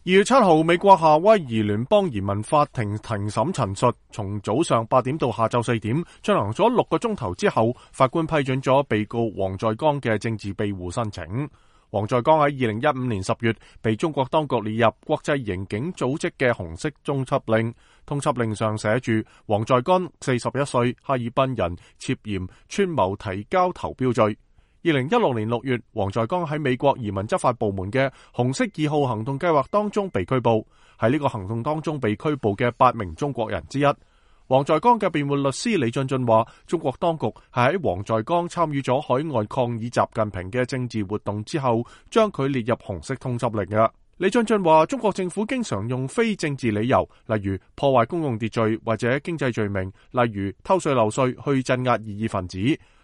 2月7號，美國夏威夷聯邦移民法庭庭審陳述，從早上8點到下晝4點，進行咗6個鐘頭之後，法官批准咗被告黃在剛嘅政治庇護申請。黃在剛喺2015年10月被中國當局列入國際刑警組織嘅紅色通緝令，通緝令上寫住黃在剛41歲，哈爾濱人，涉嫌串謀提交投標罪。2016年6月，黃在剛喺美國移民執法部門嘅紅色2號行動計劃當中被拘捕，喺呢個行動當中被拘捕嘅8名中國人之一。黃在剛嘅辯護律師李俊俊話，中國當局係喺黃在剛參與咗海外抗議習近平嘅政治活動之後，將佢列入紅色通緝令嘅。李俊俊話，中國政府經常用非政治理由，例如破壞公共秩序或者經濟罪名，例如偷稅漏稅去鎮壓異議分子。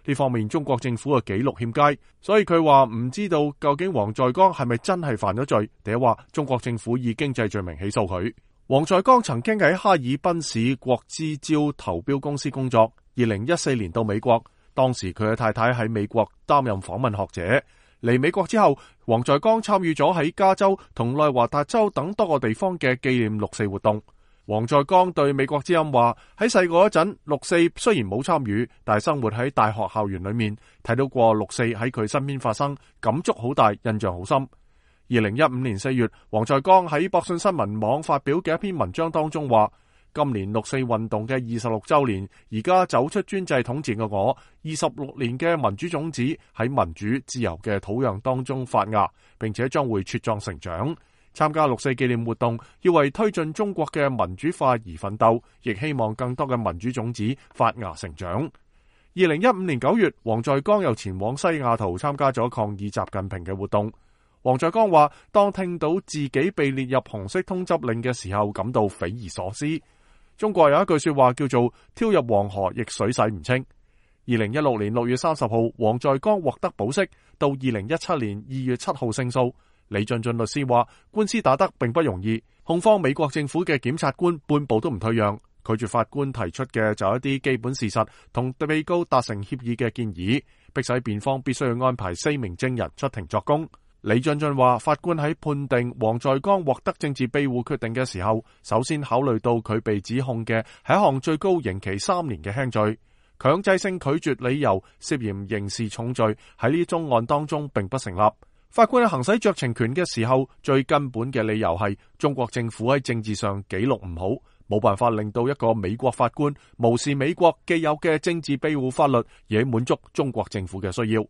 呢方面中國政府嘅記錄欠佳，所以佢話唔知道究竟黃在剛係咪真係犯咗罪，定係話中國政府以經濟罪名起訴佢。黃在剛曾經喺哈爾濱市國資招投標公司工作，2014年到美國，當時佢嘅太太喺美國擔任訪問學者。嚟美國之後，黃在剛參與咗喺加州同內華達州等多個地方嘅紀念6·4活動。黃在剛對美國之音話，喺細個嗰陣6·4雖然冇參與，但係生活喺大學校園裏面，睇到過6·4喺佢身邊發生，感觸好大，印象好深。2015年4月，黃在剛喺博訊新聞網發表嘅一篇文章當中話，今年6·4運動嘅26週年，而家走出專制統治嘅我，26年嘅民主種子喺民主自由嘅土壤當中發芽，並且將會茁壯成長。參加6·4紀念活動，要為推進中國嘅民主化而奮鬥，亦希望更多嘅民主種子發芽成長。2015年9月，黃在剛又前往西雅圖參加咗抗議習近平嘅活動。黃在剛話，當聽到自己被列入紅色通緝令嘅時候，感到匪夷所思。中國有一句說話叫做跳入黃河亦水洗唔清。2016年6月30號，黃在剛獲得保釋，到2017年2月7號勝訴。李俊俊律師話，官司打得並不容易，控方美國政府嘅檢察官半步都唔退讓，拒絕法官提出嘅就一啲基本事實同被告達成協議嘅建議，迫使辯方必須要安排4名證人出庭作供。李俊俊話，法官喺判定黃在剛獲得政治庇護決定嘅時候，首先考慮到佢被指控嘅係一項最高刑期3年嘅輕罪，強制性拒絕理由涉嫌刑事重罪喺呢宗案當中並不成立。法官喺行使酌情權嘅時候，最根本嘅理由係中國政府喺政治上記錄唔好，冇辦法令到一個美國法官無視美國既有嘅政治庇護法律，而滿足中國政府嘅需要。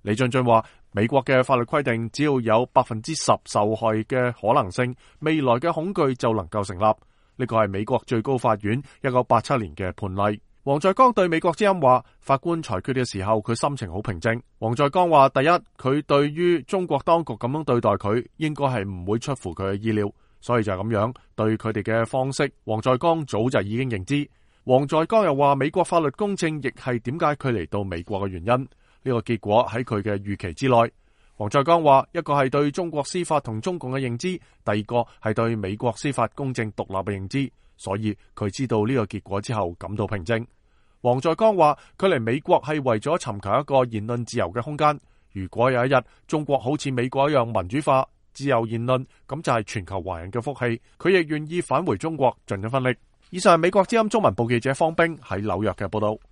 李俊俊話，美國嘅法律規定，只要有10%受害嘅可能性，未來嘅恐懼就能夠成立。呢個係美國最高法院1987年嘅判例。黃在剛對美國之音話，法官裁決嘅時候，佢心情好平靜。黃在剛話，第一，佢對於中國當局咁樣對待佢，應該係唔會出乎佢嘅意料，所以就係咁樣對佢哋嘅方式，黃在剛早就已經認知。黃在剛又話，美國法律公正亦係點解佢嚟到美國嘅原因，呢個結果喺佢嘅預期之內。黃在剛話，一個係對中國司法同中共嘅認知，第二個係對美國司法公正獨立嘅認知，所以佢知道呢個結果之後感到平靜。黃在剛話，佢嚟美國係為咗尋求一個言論自由嘅空間，如果有一日中國好似美國一樣民主化、自由言論，咁就係全球華人嘅福氣，佢亦願意返回中國盡一分力。以上係美國之音中文部記者方冰喺紐約嘅報道。